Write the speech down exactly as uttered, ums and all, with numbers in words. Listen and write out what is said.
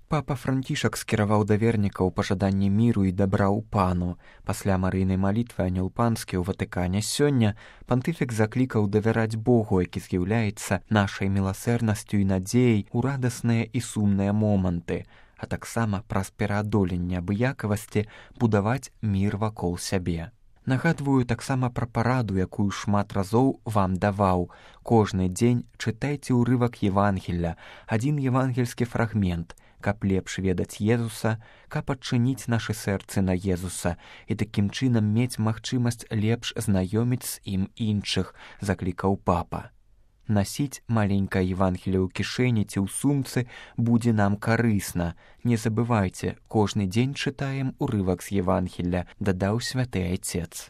Папа Францішак скіраваў да вернікаў пажаданне міру і дабра ў пану. Пасля марыйнай малітвы анёл панскі ў Ватыкане сёння пантыфік заклікаў давяраць Богу, які з'яўляецца нашай міласэрнасцю і надзеяй у радасныя і сумныя моманты, а таксама праз пераадоленне абыякавасці будаваць мір вакол сябе. Нагадваю таксама пра параду, якую шмат разоў вам даваў. Кожны дзень чытайце ўрывак Евангелля, адзін евангельскі фрагмент, каб лепш ведаць Езуса, каб адчыніць нашы сэрцы на Езуса і такім чынам мець магчымасць лепш знаёміць з ім іншых, заклікаў папа. Насіць маленькае Евангелле ў кішэні ці ў сумцы будзе нам карысна. Не забывайце, кожны дзень чытаем урывак з Евангелля, дадаў святы айцец.